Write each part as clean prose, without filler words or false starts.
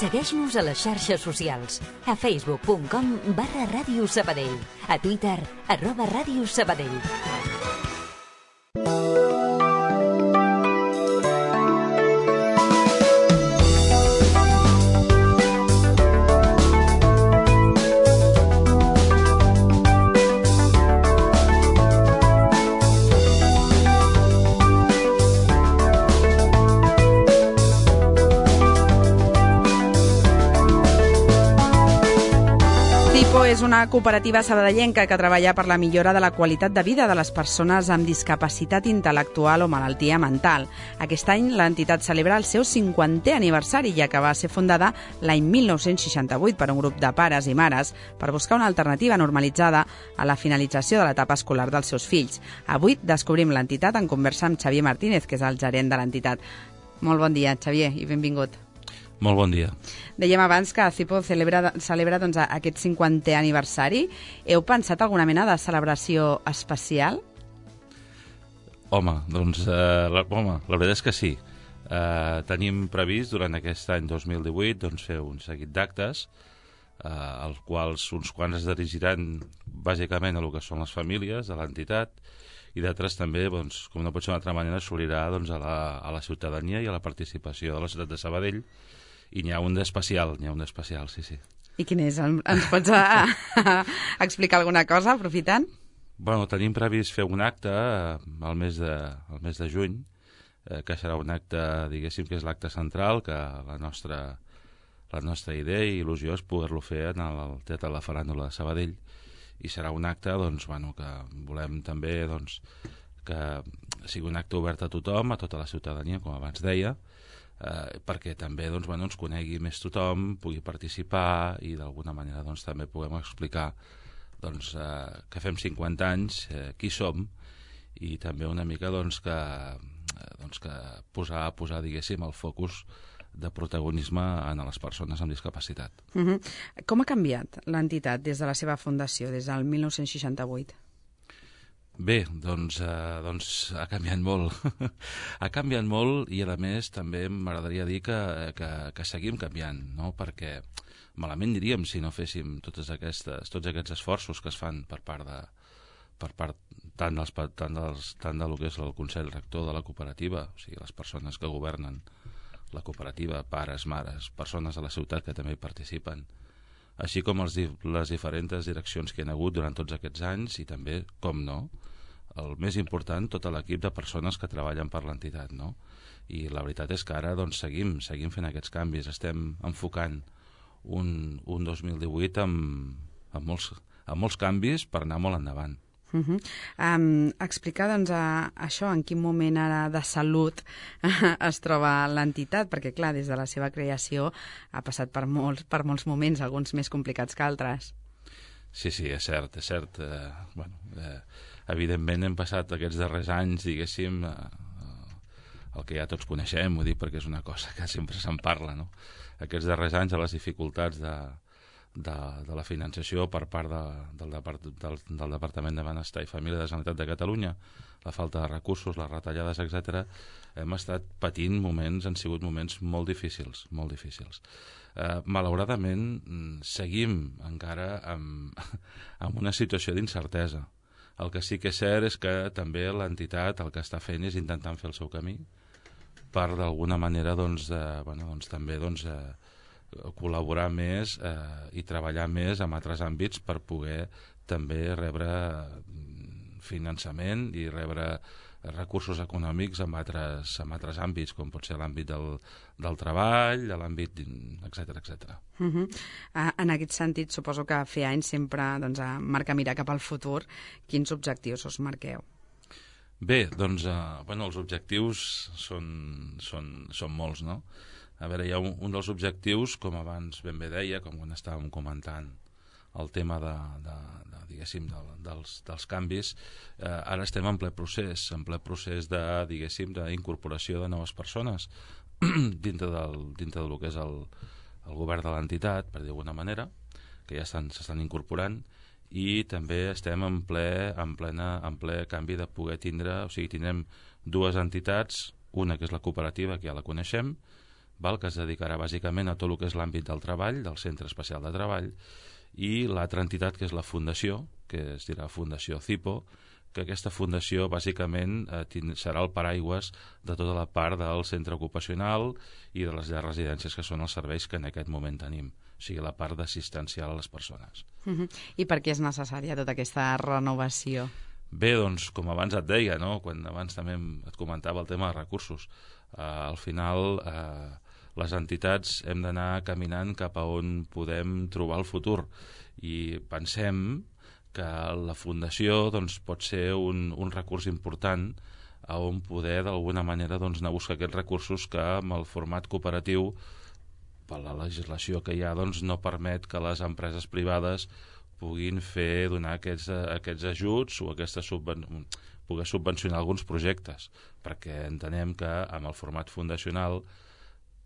Segueix-nos a les xarxes socials, a facebook.com/Ràdio Sabadell, a Twitter, @Ràdio Sabadell. És una cooperativa sabadellenca que treballa per la millora de la qualitat de vida de les persones amb discapacitat intel·lectual o malaltia mental. Aquest any l'entitat celebra el seu 50è aniversari, ja que va ser fundada l'any 1968 per un grup de pares i mares per buscar una alternativa normalitzada a la finalització de l'etapa escolar dels seus fills. Avui descobrim l'entitat en conversa amb Xavier Martínez, que és el gerent de l'entitat. Molt bon dia, Xavier, i benvingut. Molt bon dia. Dèiem abans que CIPO celebra doncs, aquest 50è aniversari. Heu pensat alguna mena de celebració especial? Home, doncs, la veritat és que sí. Tenim previst durant aquest any 2018 doncs, fer un seguit d'actes, als quals uns quants es dirigiran bàsicament a el que són les famílies de l'entitat, i d'altres també, doncs, com no pot ser d'una altra manera, s'obrirà doncs, a la ciutadania i a la participació de la ciutat de Sabadell. I n'hi ha un d'especial, sí, sí. I quin és? Ens pots explicar alguna cosa, aprofitant? Bueno, tenim previst fer un acte al mes de juny, que serà un acte, diguéssim, que és l'acte central, que la nostra idea i il·lusió és poder-lo fer en el Teatre de la Faràndula de Sabadell, i serà un acte, doncs, bueno, que volem també, doncs, que sigui un acte obert a tothom, a tota la ciutadania, com abans deia, perquè també doncs, bueno, ens conegui més tothom, pugui participar i d'alguna manera doncs, també puguem explicar doncs, que fem 50 anys, qui som, i també una mica doncs, que posar diguéssim, el focus de protagonisme en les persones amb discapacitat. Com ha canviat l'entitat des de la seva fundació, des del 1968? Bé, doncs ha canviat molt. Ha canviat molt i, a més, també m'agradaria dir que seguim canviant, no? Perquè malament diríem si no féssim tots aquests esforços que es fan per part tant del que és el Consell Rector de la cooperativa, o sigui, les persones que governen la cooperativa, pares, mares, persones de la ciutat que també hi participen, així com les diferents direccions que hi ha hagut durant tots aquests anys i també, com no, el més important, tot l'equip de persones que treballen per l'entitat, no? I la veritat és que ara doncs, seguim fent aquests canvis, estem enfocant un 2018 amb molts canvis per anar molt endavant. Explicar doncs, això, en quin moment ara de salut es troba l'entitat, perquè clar, des de la seva creació ha passat per molts moments, alguns més complicats que altres. Sí, és cert. Evidentment hem passat aquests darrers anys, diguéssim, el que ja tots coneixem, ho dic perquè és una cosa que sempre se'n parla, no? Aquests darrers anys a les dificultats de la finançació per part del Departament de Benestar i Família de la Generalitat de Catalunya, la falta de recursos, les retallades, etc., hem estat patint han sigut moments molt difícils, molt difícils. Malauradament, seguim encara amb una situació d'incertesa. El que sí que és cert és que també l'entitat el que està fent és intentant fer el seu camí per d'alguna manera també col·laborar més i treballar més en altres àmbits per poder també rebre finançament i rebre recursos econòmics en altres àmbits, com pot ser l'àmbit del treball, l'àmbit, etc. En aquest sentit, suposo que fer anys sempre marca mirar cap al futur. Quins objectius us marqueu? Bé, doncs, els objectius són molts, no? A veure, hi ha un dels objectius, com abans ben bé deia, com quan estàvem comentant el tema dels canvis, ara estem en ple procés d'incorporació de noves persones dintre del que és el govern de l'entitat, per dir d'alguna manera, que ja s'estan incorporant, i també estem en ple canvi de poder tindre, o sigui, tindrem dues entitats, una que és la cooperativa, que ja la coneixem, que es dedicarà bàsicament a tot el que és l'àmbit del treball, del Centre Especial de Treball, i l'altra entitat, que és la Fundació, que es dirà Fundació CIPO, que aquesta fundació bàsicament serà el paraigües de tota la part del centre ocupacional i de les llars residències, que són els serveis que en aquest moment tenim, o sigui, la part d'assistencial a les persones. I per què és necessària tota aquesta renovació? Bé, doncs, com abans et deia, no? Quan abans també et comentava el tema de recursos, al final les entitats hem d'anar caminant cap a on podem trobar el futur, i pensem que la Fundació doncs, pot ser un recurs important a on poder d'alguna manera doncs, anar a buscar aquests recursos que amb el format cooperatiu, per la legislació que hi ha, doncs, no permet que les empreses privades puguin donar aquests ajuts o poder subvencionar alguns projectes, perquè entenem que amb el format fundacional,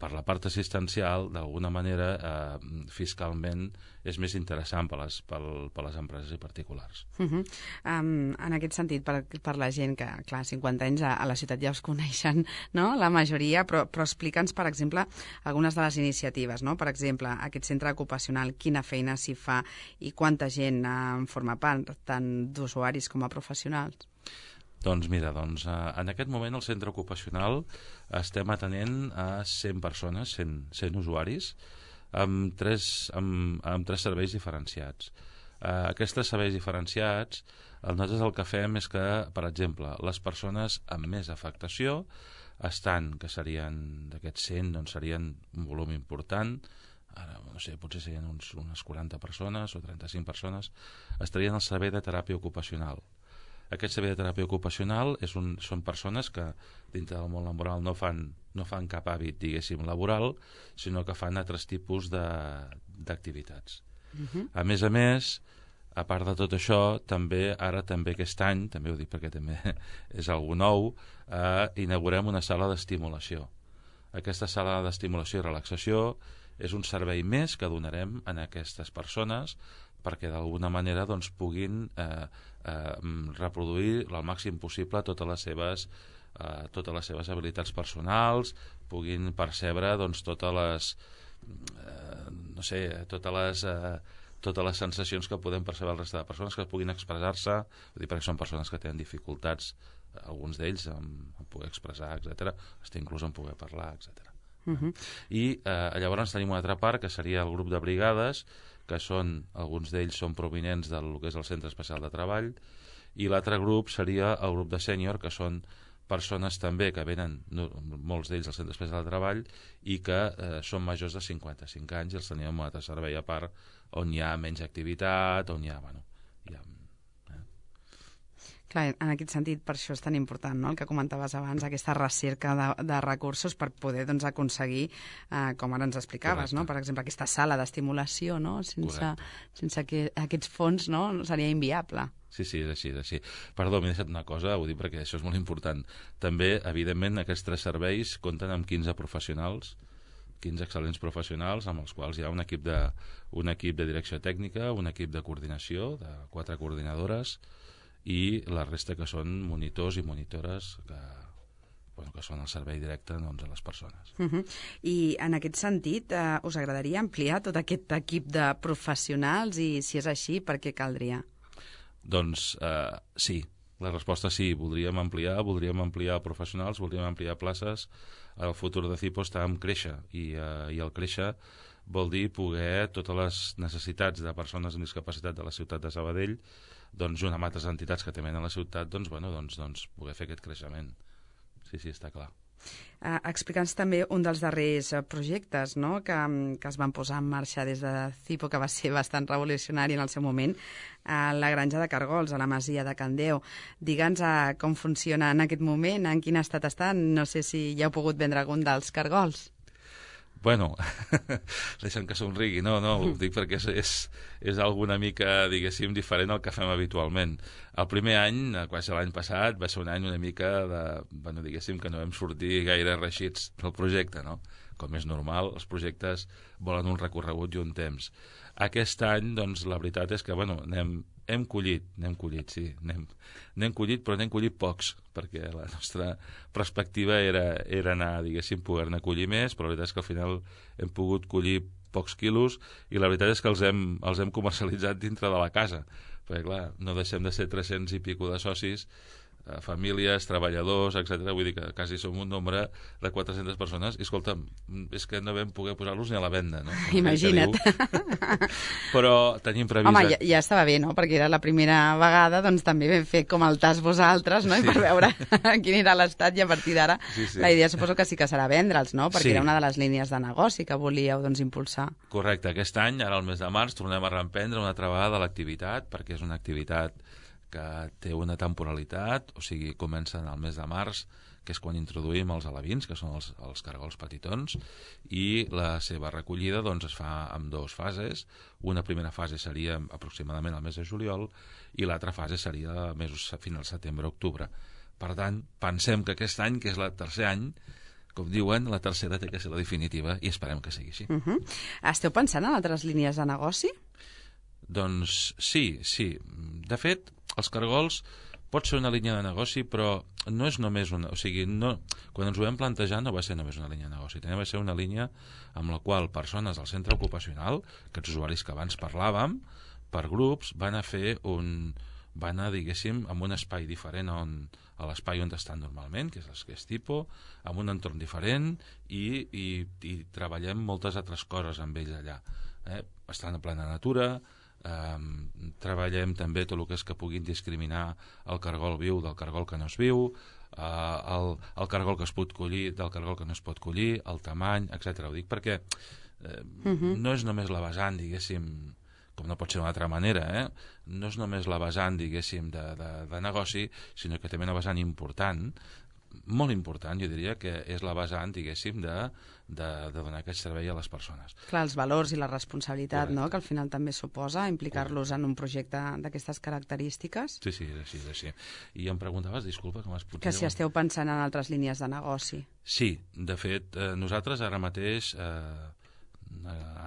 per la part assistencial, d'alguna manera, fiscalment, és més interessant per les empreses i particulars. En aquest sentit, per la gent que, clar, 50 anys a la ciutat ja us coneixen, no?, la majoria, però explica'ns, per exemple, algunes de les iniciatives, no? Per exemple, aquest centre ocupacional, quina feina s'hi fa i quanta gent en forma part, tant d'usuaris com a professionals? Doncs mira, en aquest moment al centre ocupacional estem atenent a 100 persones, 100 usuaris, amb tres serveis diferenciats. Aquests serveis diferenciats, nosaltres el que fem és que, per exemple, les persones amb més afectació que serien d'aquests 100, doncs serien un volum important, ara, no sé, potser serien unes 40 persones o 35 persones, estarien al servei de teràpia ocupacional. Aquest servei de teràpia ocupacional són persones que dintre del món laboral no fan cap hàbit, diguéssim, laboral, sinó que fan altres tipus d'activitats. A més, a part de tot això, també aquest any, també ho dic perquè també és algo nou, inaugurem una sala d'estimulació. Aquesta sala d'estimulació i relaxació és un servei més que donarem a aquestes persones perquè d'alguna manera doncs, puguin reproduir al màxim possible totes les seves habilitats personals, puguin percebre doncs, totes les sensacions que podem percebre el resta de persones, que puguin expressar-se, perquè són persones que tenen dificultats, alguns d'ells en poder expressar, etc., inclús en poder parlar, etc. I llavors tenim una altra part, que seria el grup de brigades, que alguns d'ells són provinents del que és el Centre Especial de Treball, i l'altre grup seria el grup de sènior, que són persones també que venen, molts d'ells al Centre Especial de Treball, i que són majors de 55 anys, i els tenim un altre servei a part, on hi ha menys activitat, on hi ha... Clar, en aquest sentit, per això és tan important, no?, el que comentaves abans, aquesta recerca de recursos per poder doncs, aconseguir, com ara ens explicaves, no?, per exemple, aquesta sala d'estimulació, no?, sense aquests fons, no?, seria inviable. Sí, és així. Perdó, m'he deixat una cosa, ho dic perquè això és molt important. També, evidentment, aquests 3 serveis compten amb 15 professionals, 15 excel·lents professionals, amb els quals hi ha un equip de direcció tècnica, un equip de coordinació, de 4 coordinadores, i la resta que són monitors i monitores que són el servei directe doncs, a les persones. I en aquest sentit, us agradaria ampliar tot aquest equip de professionals i si és així, per què caldria? Doncs sí, la resposta sí, voldríem ampliar professionals, voldríem ampliar places. El futur de CIPO està en créixer i el créixer vol dir poder totes les necessitats de persones amb discapacitat de la ciutat de Sabadell, doncs junt amb altres entitats que també a la ciutat, doncs poder fer aquest creixement. Sí, està clar. Explica'ns també un dels darrers projectes, no?, que es van posar en marxa des de CIPO, que va ser bastant revolucionari en el seu moment, la granja de Cargols, a la masia de Can Déu. Digue'ns com funciona en aquest moment, en quin estat estan, no sé si ja heu pogut vendre algun dels cargols. Bueno, deixa'm que somrigui, no, ho dic perquè és alguna mica, diguéssim, diferent al que fem habitualment. El primer any, quasi l'any passat, va ser un any una mica diguéssim que no vam sortir gaire reixits del projecte, no? Com és normal, els projectes volen un recorregut i un temps. Aquest any, doncs, la veritat és que, Hem collit, sí. N'hem collit, però n'hem collit pocs, perquè la nostra perspectiva era anar, diguéssim, poder-ne collir més, però la veritat és que al final hem pogut collir pocs quilos i la veritat és que els hem comercialitzat dintre de la casa, perquè clar, no deixem de ser 300 i pico de socis, famílies, treballadors, etc. Vull dir que quasi som un nombre de 400 persones i escolta'm, és que no vam poder posar-los ni a la venda, no? Imagina't. Però tenim previst... Home, ja estava bé, no? Perquè era la primera vegada, doncs també vam fer com el tas vosaltres, no? I per veure quin era l'estat i a partir d'ara la idea suposo que sí que serà vendre'ls, no? Perquè era una de les línies de negoci que volíeu doncs impulsar. Correcte, aquest any, ara al mes de març, tornem a reemprendre una altra vegada l'activitat, perquè és una activitat que té una temporalitat, o sigui, comença al mes de març, que és quan introduïm els alevins, que són els cargols petitons, i la seva recollida doncs, es fa en 2 fases. Una primera fase seria aproximadament al mes de juliol i l'altra fase seria fins al setembre-octubre. Per tant, pensem que aquest any, que és el tercer any, com diuen, la tercera té que ser la definitiva i esperem que sigui així. Esteu pensant en altres línies de negoci? Doncs sí. De fet, els cargols pot ser una línia de negoci, però no és només una... O sigui, quan ens ho vam plantejar no va ser només una línia de negoci, també va ser una línia amb la qual persones del centre ocupacional, aquests usuaris que abans parlàvem, per grups, van anar, diguéssim, en un espai diferent a l'espai on estan normalment, que és tipus, amb un entorn diferent i treballem moltes altres coses amb ells allà. Estan a plena natura, treballem també tot el que és que puguin discriminar el cargol viu del cargol que no es viu, el cargol que es pot collir del cargol que no es pot collir, el tamany, etc. Ho dic perquè no és només la vessant, diguéssim, com no pot ser d'una altra manera, no és només la vessant, diguéssim, de negoci, sinó que també una vessant important, molt important, jo diria que és la vessant, diguéssim, de donar aquest servei a les persones. Clar, els valors i la responsabilitat, no?, que al final també suposa implicar-los en un projecte d'aquestes característiques. Sí, és així. I em preguntaves, disculpa, que m'has pogut... Que si esteu pensant en altres línies de negoci. Sí, de fet, nosaltres ara mateix,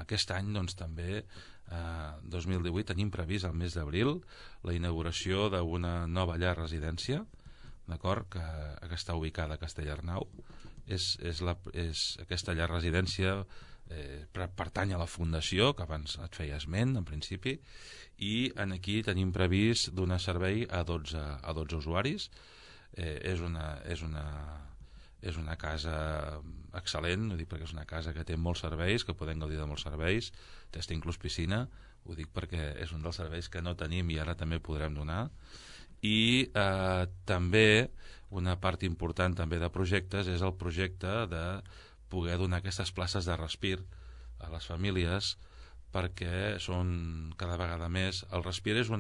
aquest any, doncs també, 2018, tenim previst al mes d'abril la inauguració d'una nova llar residència, d'acord, que està ubicada a Castellarnau. Aquesta llar residència pertany a la fundació, que abans et feia esment, en principi, i aquí tenim previst donar servei a 12 usuaris. És una casa excel·lent, ho dic perquè és una casa que té molts serveis, que podem gaudir de molts serveis, té inclús piscina, ho dic perquè és un dels serveis que no tenim i ara també podrem donar. I també una part important també de projectes és el projecte de poder donar aquestes places de respir a les famílies, perquè són cada vegada més... El respir és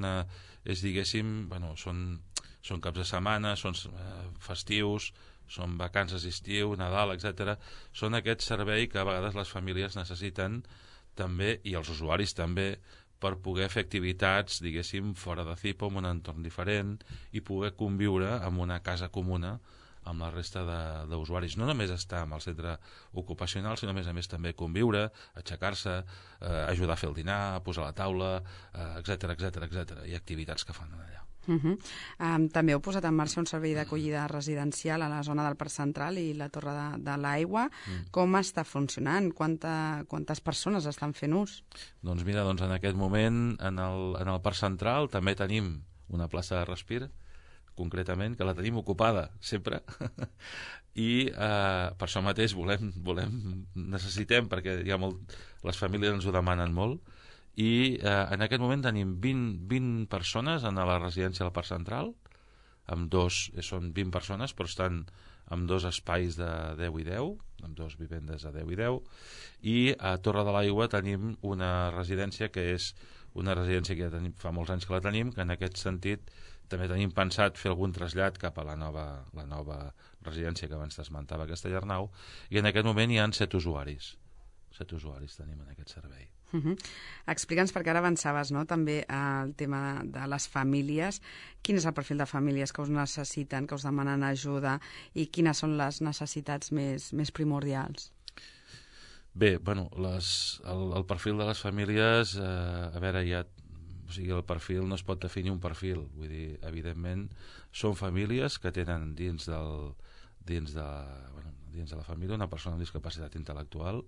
diguéssim, són caps de setmana, són festius, són vacances d'estiu, Nadal, etc. Són aquest servei que a vegades les famílies necessiten també, i els usuaris també, per poder fer activitats, diguéssim, fora de CIPO, en un entorn diferent, i poder conviure en una casa comuna amb la resta d'usuaris. No només estar en el centre ocupacional, sinó a més també conviure, aixecar-se, ajudar a fer el dinar, posar la taula, etc. I activitats que fan allà. També heu posat en marxa un servei d'acollida residencial a la zona del Parc Central i la Torre de l'Aigua. Com està funcionant? Quantes persones estan fent ús? Doncs mira, en aquest moment en el Parc Central també tenim una plaça de respir, concretament, que la tenim ocupada sempre, i per això mateix necessitem, perquè les famílies ens ho demanen molt, i en aquest moment tenim 20 persones en la residència del Parc Central, són 20 persones, però estan en 2 espais de 10 i 10, amb 2 vivendes de 10 i 10, i a Torre de l'Aigua tenim una residència que és una residència que ja fa molts anys que la tenim, que en aquest sentit també tenim pensat fer algun trasllat cap a la nova residència que abans t'esmentava, a Castellarnau, i en aquest moment hi ha 7 usuaris. 7 usuaris tenim en aquest servei. Explica'ns, perquè ara avançaves, no?, també el tema de les famílies. Quin és el perfil de famílies que us necessiten, que us demanen ajuda, i quines són les necessitats més primordials? Bé, el perfil de les famílies, a veure, sigui, el perfil no es pot definir un perfil, vull dir, evidentment són famílies que tenen dins de la família una persona amb discapacitat intel·lectual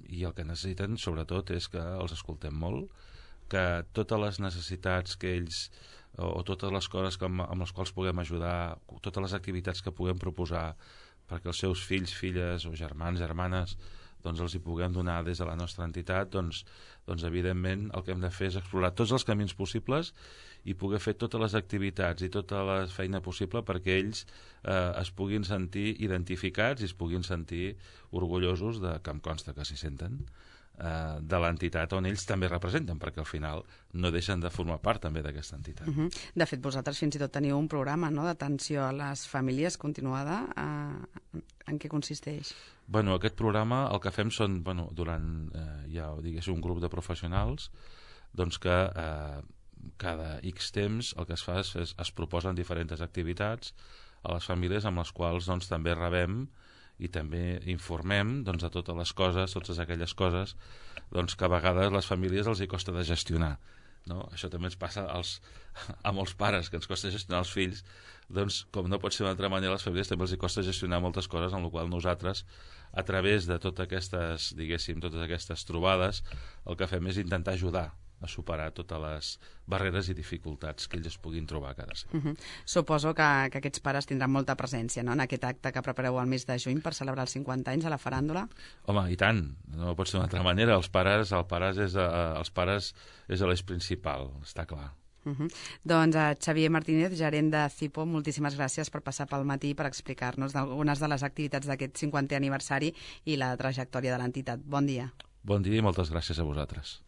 i el que necessiten sobretot és que els escoltem molt, que totes les necessitats que ells o totes les coses amb les quals puguem ajudar, totes les activitats que puguem proposar perquè els seus fills, filles o germans, germanes doncs els hi puguem donar des de la nostra entitat, doncs evidentment el que hem de fer és explorar tots els camins possibles i poder fer totes les activitats i tota la feina possible perquè ells es puguin sentir identificats i es puguin sentir orgullosos que em consta que s'hi senten de l'entitat on ells també representen, perquè al final no deixen de formar part també d'aquesta entitat. De fet, vosaltres fins i tot teniu un programa d'atenció a les famílies continuada. En què consisteix? Bueno, aquest programa el que fem són, hi ha un grup de professionals doncs que cada X temps el que es fa és es proposen diferents activitats a les famílies amb les quals doncs, també rebem i també informem de totes les coses, totes aquelles coses doncs, que a vegades les famílies els hi costa de gestionar. No? Això també ens passa a molts pares, que ens costa gestionar els fills, doncs, com no pot ser d'una altra manera, les famílies també els hi costa gestionar moltes coses, en la qual nosaltres, a través de totes aquestes trobades, el que fem és intentar ajudar a superar totes les barreres i dificultats que ells es puguin trobar cada setmana. Suposo que aquests pares tindran molta presència en aquest acte que prepareu el mes de juny per celebrar els 50 anys a la faràndula. Home, i tant, no pot ser d'una altra manera. Els pares és l'eix principal, està clar. Doncs Xavier Martínez, gerent de CIPO, moltíssimes gràcies per passar pel matí per explicar-nos algunes de les activitats d'aquest 50è aniversari i la trajectòria de l'entitat. Bon dia. Bon dia i moltes gràcies a vosaltres.